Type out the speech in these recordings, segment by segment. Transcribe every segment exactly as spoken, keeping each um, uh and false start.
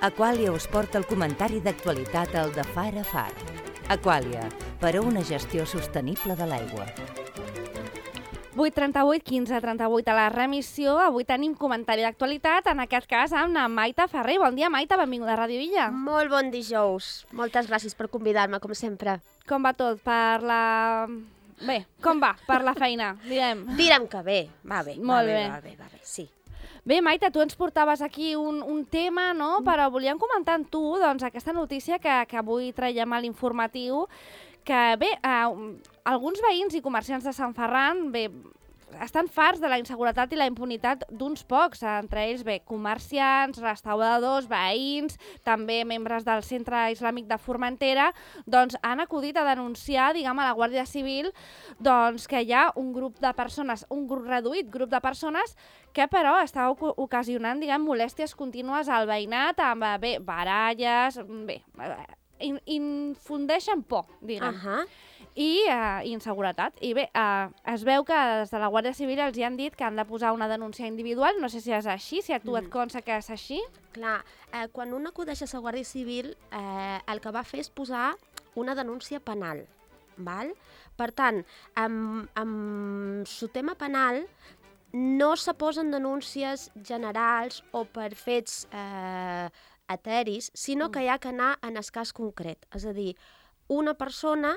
Aquàlia us porta el comentari d'actualitat al de Far a Far. Aquàlia, per a una gestió sostenible de l'aigua. vuit trenta-vuit, quinze trenta-vuit a la remissió. Avui tenim comentari d'actualitat, en aquest cas amb la Maite Ferrer. Bon dia, Maite, benvinguda a Ràdio Illa. Molt bon dijous. Moltes gràcies per convidar-me, com sempre. Com va tot per la... Bé, com va per la feina, direm? Direm que bé, va bé. Molt va bé. bé. Va bé, va bé, sí. Bé, Maite, tu ens portaves aquí un, un tema, no? Però volíem comentar amb tu doncs, aquesta notícia que, que avui traiem a l'informatiu, que bé, eh, alguns veïns i comerciants de Sant Ferran, bé, estan farts de la inseguretat i la impunitat d'uns pocs, entre ells, bé, comerciants, restauradors, veïns, també membres del Centre Islàmic de Formentera, doncs han acudit a denunciar, diguem, a la Guàrdia Civil, doncs que hi ha un grup de persones, un grup reduït grup de persones que però està ocasionant, diguem, molèsties contínues al veïnat amb, bé, baralles, bé, in, infundeixen por, diguem. Uh -huh. I uh, inseguretat. I bé, uh, es veu que des de la Guàrdia Civil els hi han dit que han de posar una denúncia individual. No sé si és així, si a tu mm. et consta que és així. Clar, eh, quan un acudeix a la Guàrdia Civil, eh, el que va fer és posar una denúncia penal. Val? Per tant, amb, amb el tema penal no se posen denúncies generals o per fets eh, eteris, sinó mm. que hi ha que anar en el cas concret. És a dir, una persona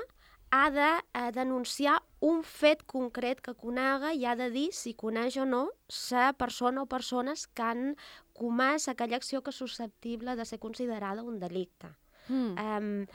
ha de eh, denunciar un fet concret que conega i ha de dir si coneix o no la persona o persones que han comès aquella acció que és susceptible de ser considerada un delicte. Mm. Um,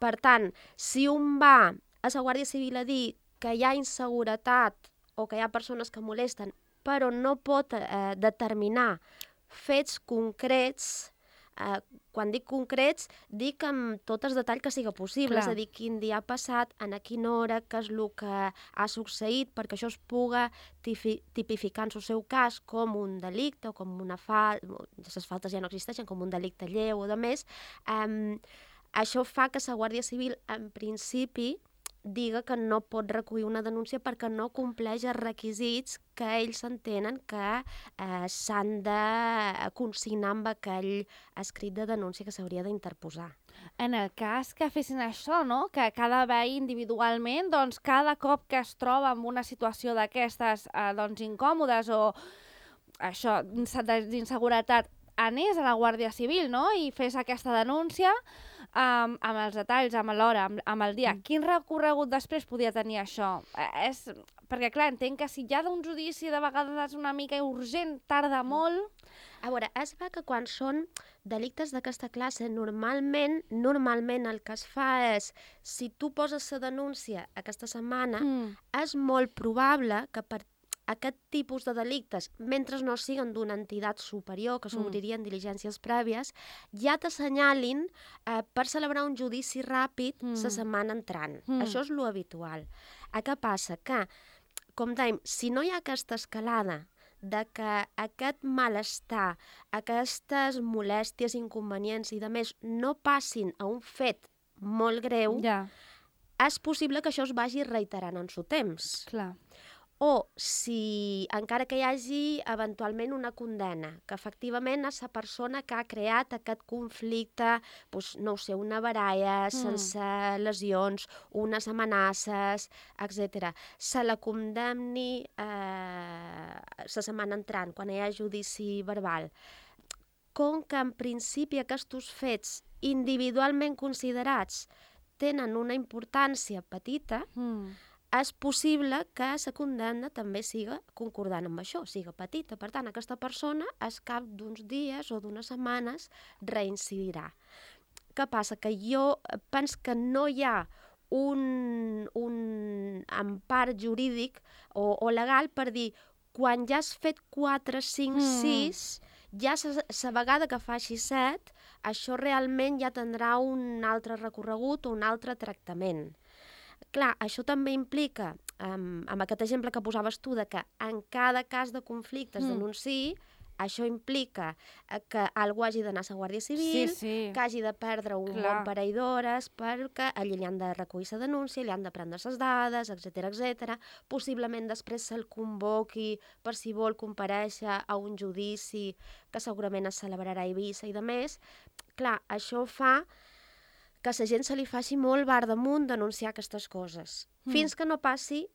per tant, si un va a la Guàrdia Civil a dir que hi ha inseguretat o que hi ha persones que molesten, però no pot eh, determinar fets concrets, eh, quan dic concrets, dic amb tot el detall que siga possible, Clar. És a dir, quin dia ha passat, en a quina hora, què és el que ha succeït, perquè això es puga tipificar en el seu cas com un delicte o com una falta, les faltes ja no existeixen, com un delicte lleu o de més. Um, això fa que la Guàrdia Civil, en principi, diga que no pot recollir una denúncia perquè no compleix els requisits que ells entenen que eh, s'han de consignar amb aquell escrit de denúncia que s'hauria d'interposar. En el cas que fessin això, no? Que cada veí individualment, doncs cada cop que es troba en una situació d'aquestes eh, doncs, incòmodes o això, d'inseguretat, anés a la Guàrdia Civil, no? I fes aquesta denúncia um, amb els detalls, amb l'hora, amb, amb el dia. Mm. Quin recorregut després podia tenir això? Eh, és... Perquè, clar, entenc que si hi ha d'un judici de vegades és una mica urgent, tarda molt... A veure, es va que quan són delictes d'aquesta classe, normalment, normalment el que es fa és, si tu poses la denúncia aquesta setmana, mm. és molt probable que per aquest tipus de delictes, mentre no siguin d'una entitat superior, que s'obririen mm. diligències prèvies, ja t'assenyalin eh, per celebrar un judici ràpid mm. la setmana entrant. Mm. Això és lo habitual. A què passa? Que, com dèiem, si no hi ha aquesta escalada de que aquest malestar, aquestes molèsties, inconvenients i de més no passin a un fet molt greu, ja. és possible que això es vagi reiterant en su temps. Clar. O si, encara que hi hagi eventualment una condena, que efectivament és la persona que ha creat aquest conflicte, doncs, no ho sé, una baralla, mm. sense lesions, unes amenaces, etcètera, se la condemni eh, la setmana entrant, quan hi ha judici verbal. Com que en principi aquests fets individualment considerats tenen una importància petita, mm. és possible que la condemna també siga concordant amb això, siga petita. Per tant, aquesta persona, al cap d'uns dies o d'unes setmanes, reincidirà. Què passa? Que jo penso que no hi ha un, un empar jurídic o, o legal per dir quan ja has fet quatre, cinc, mm. sis, ja la vegada que faci set, això realment ja tindrà un altre recorregut o un altre tractament. Clar, això també implica, um, amb aquest exemple que posaves tu, de que en cada cas de conflicte es denunciï, això implica que algú hagi d'anar a la Guàrdia Civil, sí, sí. que hagi de perdre un Clar. bon parell d'hores, perquè allí li han de recollir la denúncia, li han de prendre les dades, etcètera, etcètera. Possiblement després se'l convoqui per si vol comparèixer a un judici que segurament es celebrarà a Eivissa i de més. Clar, això fa que la gent se li faci molt bar damunt denunciar aquestes coses, mm. fins que no passi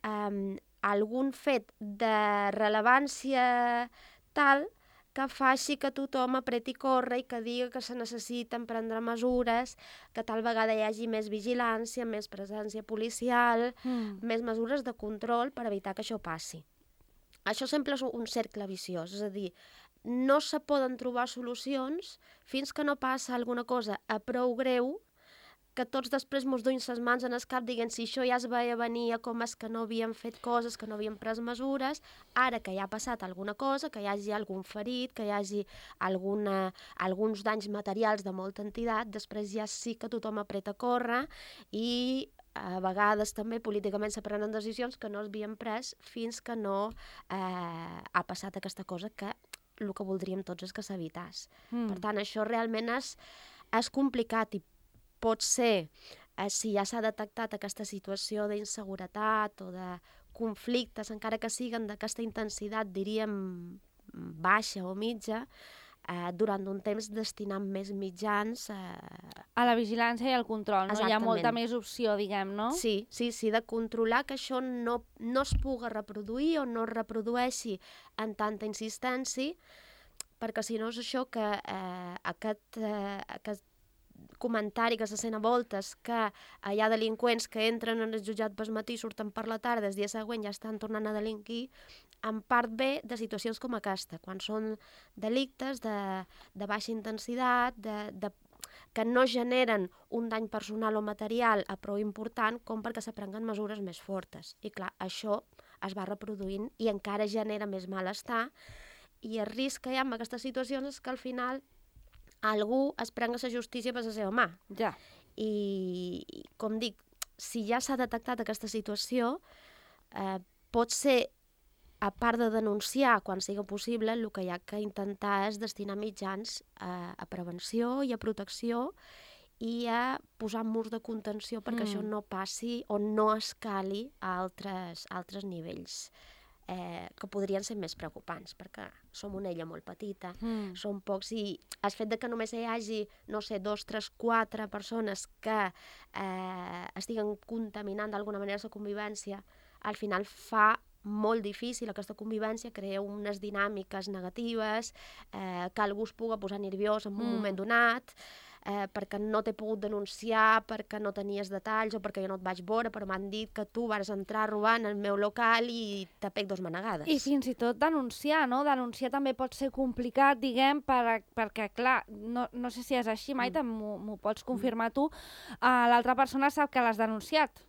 um, algun fet de rellevància tal que faci que tothom apreti corre i que digui que se necessiten prendre mesures, que tal vegada hi hagi més vigilància, més presència policial, mm. més mesures de control per evitar que això passi. Això sempre és un cercle viciós, és a dir, no se poden trobar solucions fins que no passa alguna cosa a prou greu que tots després mos duim les mans en el cap dient si això ja es veia venir, com és que no havíem fet coses, que no havíem pres mesures, ara que ja ha passat alguna cosa, que hi hagi algun ferit, que hi hagi alguna, alguns danys materials de molta entitat, després ja sí que tothom apreta a córrer i a vegades també políticament se prenen decisions que no s'havien pres fins que no eh, ha passat aquesta cosa que el que voldríem tots és que s'evitàs. Mm. Per tant, això realment és, és complicat i pot ser, eh, si ja s'ha detectat aquesta situació d'inseguretat o de conflictes, encara que siguen d'aquesta intensitat, diríem, baixa o mitja, eh, durant un temps destinant més mitjans eh... a la vigilància i al control, no? Exactament. Hi ha molta més opció, diguem, no? Sí, sí, sí, de controlar que això no, no es pugui reproduir o no es reprodueixi en tanta insistència, perquè si no és això que eh, aquest, eh, aquest comentari que se sent a voltes que hi ha delinqüents que entren en el jutjat pel matí, surten per la tarda, el dia següent ja estan tornant a delinquir, en part ve de situacions com aquesta, quan són delictes de, de baixa intensitat, de, de, que no generen un dany personal o material a prou important com perquè se prenguen mesures més fortes. I clar, això es va reproduint i encara genera més malestar, i el risc que hi ha en aquestes situacions és que al final algú es prenga la justícia per la seva mà. Ja. I, com dic, si ja s'ha detectat aquesta situació, eh, pot ser, a part de denunciar quan sigui possible, el que hi ha que intentar és destinar mitjans a, a prevenció i a protecció i a posar murs de contenció perquè mm. això no passi o no escali a altres, altres nivells. Eh, que podrien ser més preocupants, perquè som una illa molt petita, mm. som pocs, i el fet de que només hi hagi, no sé, dos, tres, quatre persones que eh, estiguen contaminant d'alguna manera la convivència, al final fa molt difícil aquesta convivència, crea unes dinàmiques negatives, eh, que algú es pugui posar nerviós en un mm. moment donat, eh, perquè no t'he pogut denunciar, perquè no tenies detalls o perquè jo no et vaig veure, però m'han dit que tu vas entrar robant al meu local i te pec dos manegades. I fins i tot denunciar, no? Denunciar també pot ser complicat, diguem, per, perquè, clar, no, no sé si és així, Maite, mm. m'ho pots confirmar tu, uh, l'altra persona sap que l'has denunciat.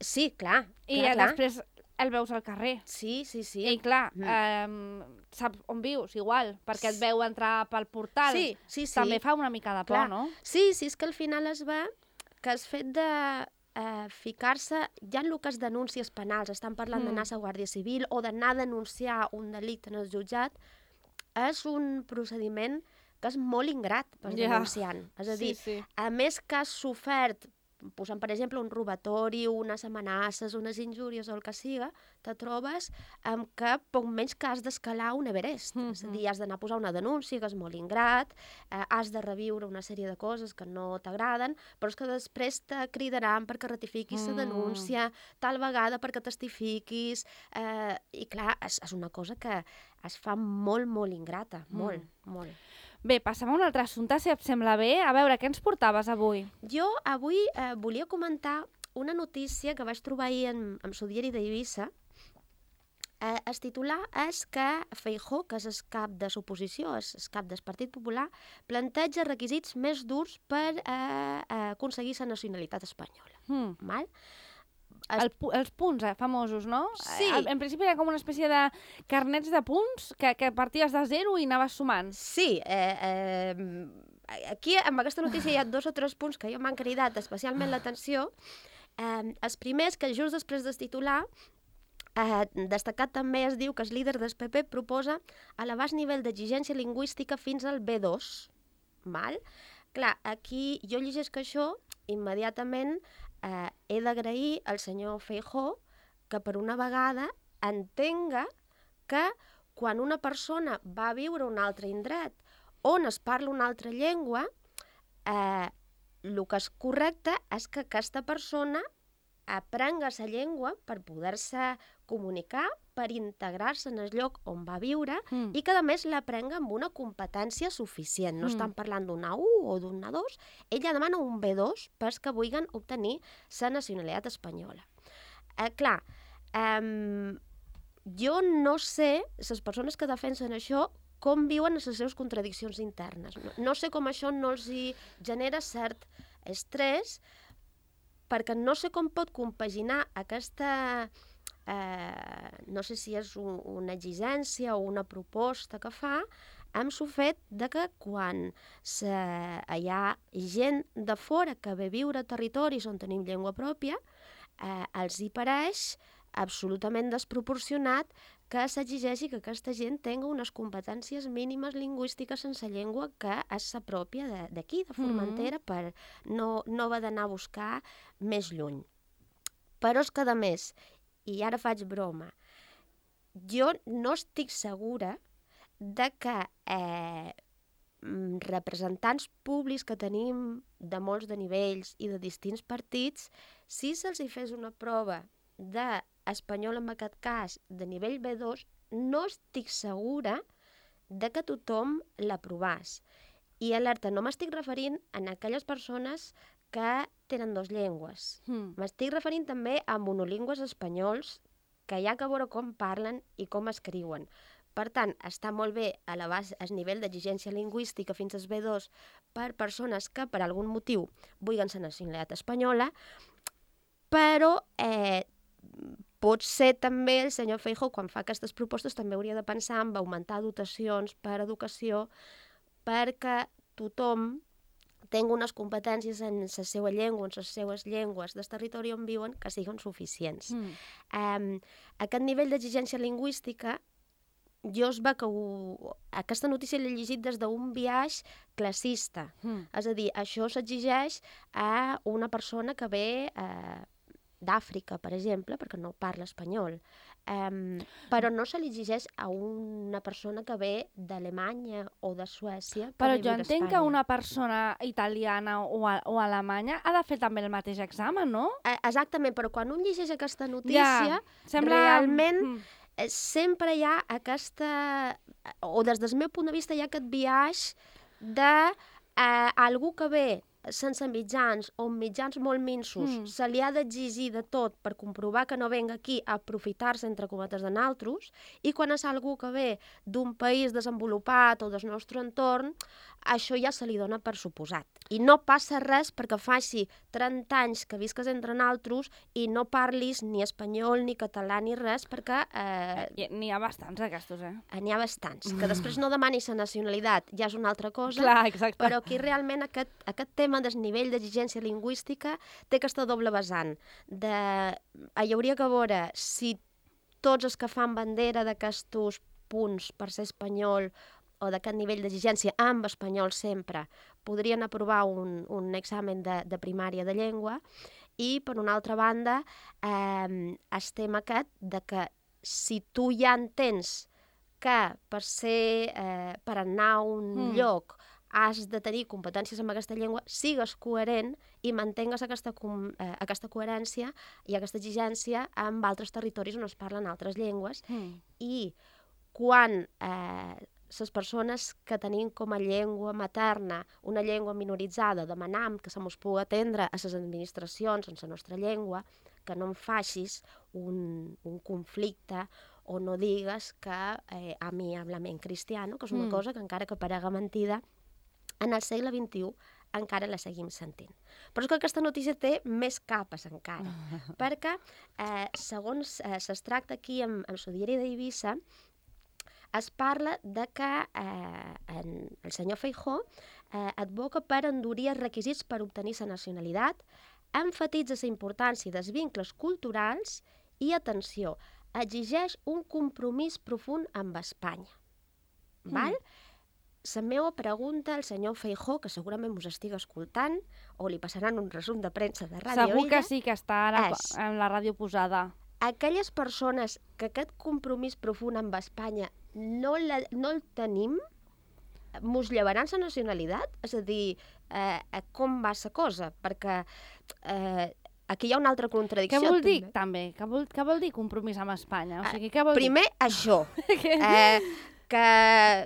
Sí, clar. I clar, clar. després el veus al carrer. Sí, sí, sí. I clar, mm. eh, saps on vius, igual, perquè et veu entrar pel portal. Sí, sí, sí. També fa una mica de por, clar. no? Sí, sí, és que al final es va que el fet de eh, ficar-se, ja en el que és denúncies penals, estan parlant mm. d'anar a la Guàrdia Civil o d'anar a denunciar un delicte en el jutjat, és un procediment que és molt ingrat per yeah. denunciant. És a dir, sí, sí. a més que has sofert, posant, per exemple, un robatori, unes amenaces, unes injúries o el que siga, te trobes amb que poc menys que has d'escalar un Everest. Mm -hmm. És a dir, has d'anar a posar una denúncia, que és molt ingrat, eh, has de reviure una sèrie de coses que no t'agraden, però és que després te cridaran perquè ratifiquis la mm. denúncia, tal vegada perquè testifiquis, eh, i clar, és, és una cosa que es fa molt, molt ingrata, mm. molt, molt. Bé, passem a un altre assumpte, si et sembla bé. A veure, què ens portaves avui? Jo avui eh, volia comentar una notícia que vaig trobar ahir en, en el diari d'Eivissa. Eh, el titular és que Feijóo, que és el cap de l'oposició, és el cap del Partit Popular, planteja requisits més durs per eh, eh, aconseguir la nacionalitat espanyola. Mm. Val? El, els punts eh, famosos, no? Sí. En, en principi era com una espècie de carnets de punts que, que parties de zero i anaves sumant. Sí. Eh, eh, aquí, amb aquesta notícia, hi ha dos o tres punts que jo m'han cridat especialment l'atenció. Eh, els primers, que just després del titular, Eh, destacat també es diu que el líder del P P proposa elevar el nivell d'exigència lingüística fins al B dos. Val? Clar, aquí jo llegeixo això, immediatament eh, he d'agrair al senyor Feijóo que per una vegada entenga que quan una persona va a viure a un altre indret on es parla una altra llengua, eh, el que és correcte és que aquesta persona aprenga la llengua per poder-se comunicar, per integrar-se en el lloc on va viure mm. i que, a més, l'aprenga amb una competència suficient. No mm. estan parlant d'una U o d'una dos. Ella demana un B dos pels que vulguin obtenir la nacionalitat espanyola. Eh, clar, eh, jo no sé, les persones que defensen això, com viuen les seves contradiccions internes. No, no sé com això no els hi genera cert estrès, perquè no sé com pot compaginar aquesta, eh, no sé si és un, una exigència o una proposta que fa, amb el fet de que quan se, hi ha gent de fora que ve a viure a territoris on tenim llengua pròpia, eh, els hi pareix absolutament desproporcionat que s'exigeixi que aquesta gent tingui unes competències mínimes lingüístiques sense llengua que és la pròpia d'aquí, de Formentera, mm. per no, no haver d'anar a buscar més lluny. Però és que, a més, i ara faig broma, jo no estic segura de que eh, representants públics que tenim de molts de nivells i de distints partits, si se'ls hi fes una prova d'espanyol, en aquest cas, de nivell B dos, no estic segura de que tothom l'aprovàs. I alerta, no m'estic referint a aquelles persones que tenen dues llengües. Mm. M'estic referint també a monolingües espanyols que hi ha que veure com parlen i com escriuen. Per tant, està molt bé elevar el nivell d'exigència lingüística fins al B dos per persones que per algun motiu vulguin la nacionalitat espanyola, però eh, pot ser també el senyor Feijóo, quan fa aquestes propostes, també hauria de pensar en augmentar dotacions per educació perquè tothom tingui unes competències en la seva llengua, en les seues llengües del territori on viuen, que siguin suficients. Mm. Um, aquest nivell d'exigència lingüística, jo es va que ho... aquesta notícia l'he llegit des d'un biaix classista. Mm. És a dir, això s'exigeix a una persona que ve eh, d'Àfrica, per exemple, perquè no parla espanyol. Um, però no se li exigeix a una persona que ve d'Alemanya o de Suècia. Però jo entenc que una persona italiana o, a, o alemanya ha de fer també el mateix examen, no? Eh, exactament, però quan un llegeix aquesta notícia, ja, sembla... realment mm. eh, sempre hi ha aquesta... o des del meu punt de vista hi ha aquest biaix de eh, algú que ve sense mitjans o mitjans molt minsos, mm. se li ha d'exigir de tot per comprovar que no venga aquí a aprofitar-se, entre cometes, de naltros, i quan és algú que ve d'un país desenvolupat o del nostre entorn, això ja se li dona per suposat. I no passa res perquè faci trenta anys que visques entre naltros i no parlis ni espanyol, ni català, ni res, perquè... Eh, n'hi ha bastants, aquests, eh? N'hi ha bastants. Que després no demanis la nacionalitat ja és una altra cosa. Clar, exacte. Però aquí realment aquest, aquest tema del nivell d'exigència lingüística té aquesta doble vessant. De... Hi hauria que veure si tots els que fan bandera d'aquests punts per ser espanyol o d'aquest nivell d'exigència amb espanyol sempre podrien aprovar un, un examen de, de primària de llengua, i per una altra banda eh, estem aquest de que si tu ja entens que per ser eh, per anar a un mm. lloc has de tenir competències en aquesta llengua, sigues coherent i mantengues aquesta, eh, aquesta coherència i aquesta exigència amb altres territoris on es parlen altres llengües. Mm. I quan eh, les persones que tenim com a llengua materna una llengua minoritzada demanam que se mos pugui atendre a les administracions en la nostra llengua, que no em facis un, un conflicte o no digues que eh, a mi háblame en cristiano, que és una mm. cosa que encara que parega mentida, en el segle vint-i-u encara la seguim sentint. Però és que aquesta notícia té més capes encara, perquè eh, segons eh, s'extracta aquí amb, amb el diari d'Eivissa, es parla de que eh, en, el senyor Feijóo eh, advoca per endurir els requisits per obtenir la nacionalitat, enfatitza la importància dels vincles culturals i, atenció, exigeix un compromís profund amb Espanya. Val? Mm. La meva pregunta al senyor Feijóo, que segurament us estigui escoltant, o li passaran un resum de premsa de Ràdio Segur que Illa, sí, que està ara és... en la ràdio posada. Aquelles persones que aquest compromís profund amb Espanya no, la, no el tenim, mos llevaran la nacionalitat? És a dir, eh, com va la cosa? Perquè eh, aquí hi ha una altra contradicció. Què vol dir, també? també? Què vol, què vol dir compromís amb Espanya? O sigui, què vol Primer, dir? això. eh, que...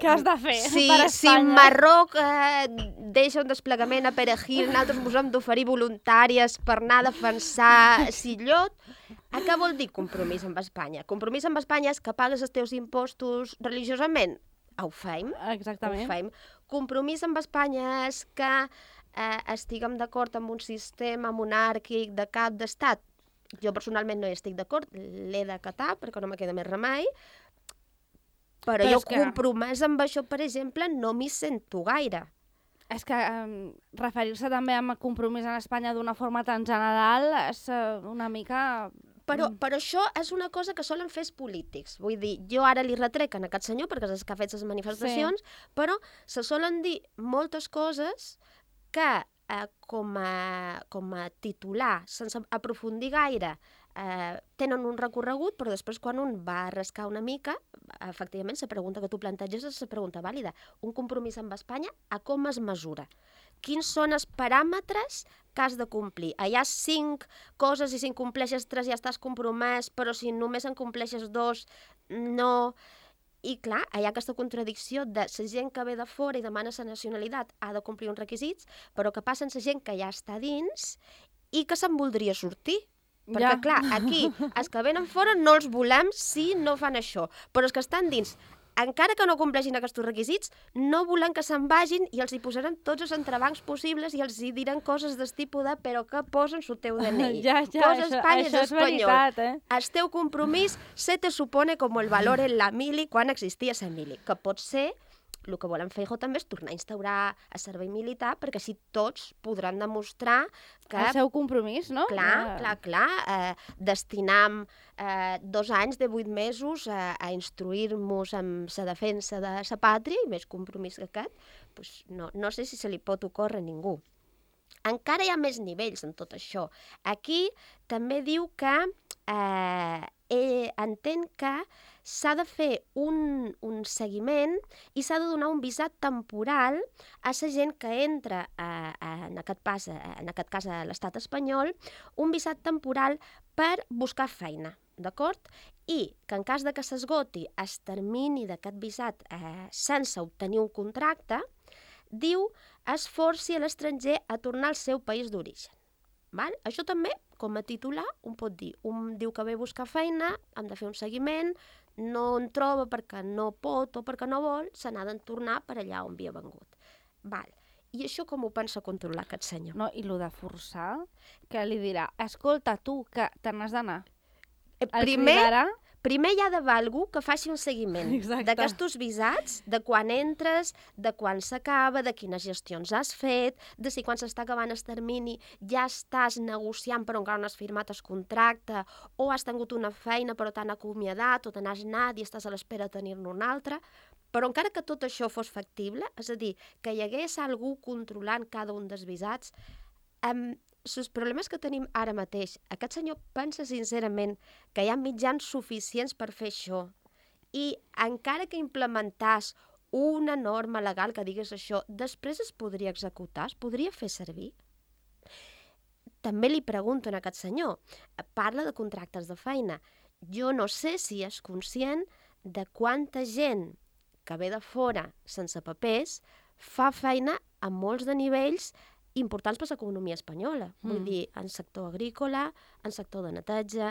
Què has de fer si, per si Espanya? Marroc eh, deixa un desplegament a Perejil, nosaltres ens hem d'oferir voluntàries per anar a defensar Sillot. A què vol dir compromís amb Espanya? Compromís amb Espanya és que pagues els teus impostos religiosament? Ho feim. Exactament. Ho feim. Compromís amb Espanya és que eh, estiguem d'acord amb un sistema monàrquic de cap d'estat. Jo personalment no hi estic d'acord, l'he d'acatar perquè no me queda més remei, però, però jo que... compromès amb això, per exemple, no m'hi sento gaire. És que eh, referir-se també a compromís en Espanya d'una forma tan general és eh, una mica... Però, però això és una cosa que solen fer els polítics. Vull dir, jo ara li retrec a aquest senyor perquè és el que ha fet les manifestacions, sí. Però se solen dir moltes coses que eh, com, a, com a titular, sense aprofundir gaire, eh, tenen un recorregut, però després quan un va a rascar una mica, efectivament la pregunta que tu planteges és la pregunta vàlida. Un compromís amb Espanya, a com es mesura? Quins són els paràmetres que has de complir? Hi ha cinc coses i si en compleixes tres ja estàs compromès, però si només en compleixes dos, no... I clar, hi ha aquesta contradicció de la gent que ve de fora i demana la nacionalitat ha de complir uns requisits, però que passen la gent que ja està dins i que se'n voldria sortir. Perquè, ja. Clar, aquí, els que venen fora no els volem si no fan això, però els que estan dins, encara que no compleixin aquests requisits, no volen que se'n vagin i els hi posaran tots els entrebancs possibles i els hi diran coses del tipus de però que posen el teu D N I. Ja, ja, Posa això, Espanya això és veritat, eh? El teu compromís se te supone com el valor en la mili quan existia la mili, que pot ser el que volen Feijóo també és tornar a instaurar el servei militar perquè així tots podran demostrar que... El seu compromís, no? Clar, ja. clar, clar. Eh, destinam eh, dos anys de vuit mesos a, a instruir-nos en la defensa de la pàtria i més compromís que aquest, pues no, no sé si se li pot ocórrer a ningú. Encara hi ha més nivells en tot això. Aquí també diu que eh, eh, entén que s'ha de fer un, un seguiment i s'ha de donar un visat temporal a la gent que entra, a, a, en, aquest pas, a, en aquest cas a l'estat espanyol, un visat temporal per buscar feina, d'acord? I que en cas de que s'esgoti el termini d'aquest visat eh, sense obtenir un contracte, diu es forci a l'estranger a tornar al seu país d'origen. Val? Això també, com a titular, un pot dir. Un diu que ve a buscar feina, hem de fer un seguiment, no en troba perquè no pot o perquè no vol, se n'ha de tornar per allà on havia vengut. Val. I això com ho pensa controlar aquest senyor? No, i el de forçar, que li dirà, escolta, tu, que te n'has d'anar. Eh, primer, primer hi ha d'haver algú que faci un seguiment d'aquests visats, de quan entres, de quan s'acaba, de quines gestions has fet, de si quan s'està acabant el termini ja estàs negociant però encara no has firmat el contracte, o has tingut una feina però t'han acomiadat, o te n'has anat i estàs a l'espera de tenir-ne una altra. Però encara que tot això fos factible, és a dir, que hi hagués algú controlant cada un dels visats, amb els problemes que tenim ara mateix, aquest senyor pensa sincerament que hi ha mitjans suficients per fer això i encara que implementàs una norma legal que digués això, després es podria executar, es podria fer servir? També li pregunto a aquest senyor, parla de contractes de feina. Jo no sé si és conscient de quanta gent que ve de fora sense papers fa feina a molts de nivells importants per a l'economia espanyola. Mm. Vull dir, en sector agrícola, en sector de neteja,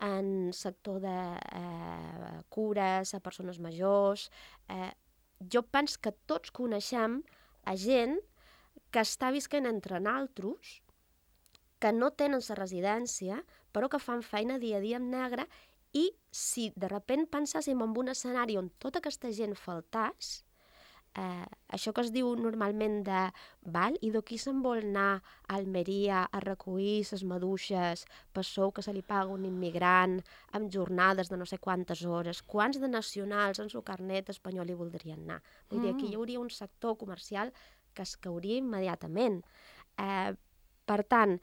en sector de eh, cures a persones majors. Eh, jo penso que tots coneixem a gent que està visquent entre naltros, que no tenen la residència, però que fan feina dia a dia en negre, i si de sobte penséssim en un escenari on tota aquesta gent faltàs, eh, això que es diu normalment de val, i d'aquí se'n vol anar a Almeria a recollir les maduixes per sou que se li paga un immigrant amb jornades de no sé quantes hores, quants de nacionals en el carnet espanyol hi voldrien anar? Vull dir, aquí hi hauria un sector comercial que es cauria immediatament. Eh, per tant,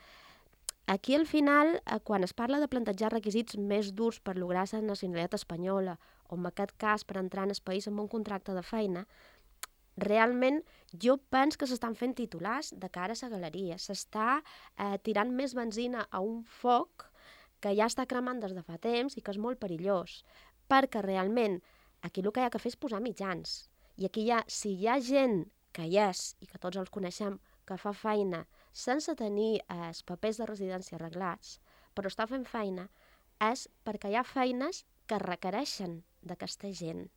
aquí al final, eh, quan es parla de plantejar requisits més durs per lograr la nacionalitat espanyola, o en aquest cas per entrar en el país amb un contracte de feina, realment jo penso que s'estan fent titulars de cara a la galeria. S'està eh, tirant més benzina a un foc que ja està cremant des de fa temps i que és molt perillós, perquè realment aquí el que hi ha que fer és posar mitjans. I aquí hi ha, si hi ha gent que hi és, i que tots els coneixem, que fa feina sense tenir eh, els papers de residència arreglats, però està fent feina, és perquè hi ha feines que requereixen d'aquesta gent.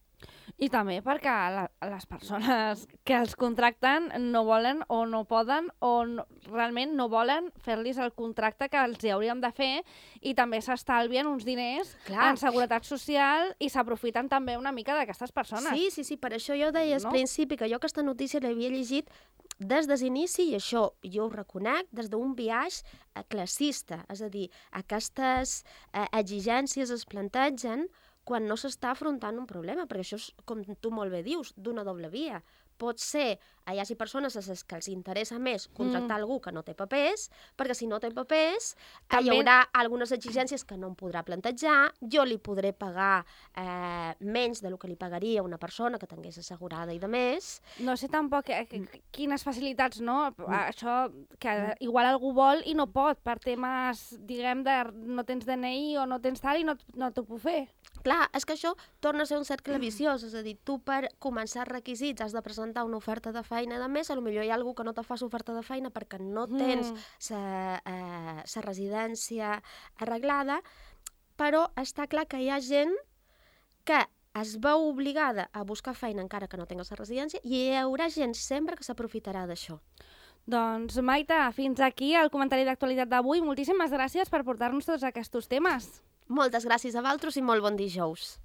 I també perquè la, les persones que els contracten no volen o no poden o no, realment no volen fer-los el contracte que els hi hauríem de fer, i també s'estalvien uns diners Clar. en seguretat social i s'aprofiten també una mica d'aquestes persones. Sí, sí, sí, per això jo deia al no? principi que jo aquesta notícia l'havia llegit des de l'inici, i això jo ho reconec, des d'un biaix eh, classista, és a dir, aquestes eh, exigències es plantegen quan no s'està afrontant un problema, perquè això és, com tu molt bé dius, d'una doble via. Pot ser, hi hagi persones a les que els interessa més contractar mm. algú que no té papers, perquè si no té papers També... hi haurà algunes exigències que no em podrà plantejar, jo li podré pagar eh, menys del que li pagaria una persona que tingués assegurada i de més. No sé tampoc eh, quines facilitats, no? Mm. Això que igual algú vol i no pot, per temes, diguem, de no tens D N I o no tens tal i no, no t'ho puc fer. Clar, és que això torna a ser un cercle viciós, és a dir, tu per començar requisits has de presentar una oferta de feina, de més, potser hi ha algú que no te fa l'oferta de feina perquè no tens la mm. eh, residència arreglada, però està clar que hi ha gent que es veu obligada a buscar feina encara que no tingues la residència, i hi haurà gent sempre que s'aprofitarà d'això. Doncs, Maita, fins aquí el comentari d'actualitat d'avui. Moltíssimes gràcies per portar-nos tots aquests temes. Moltes gràcies a vosaltres i molt bon dijous.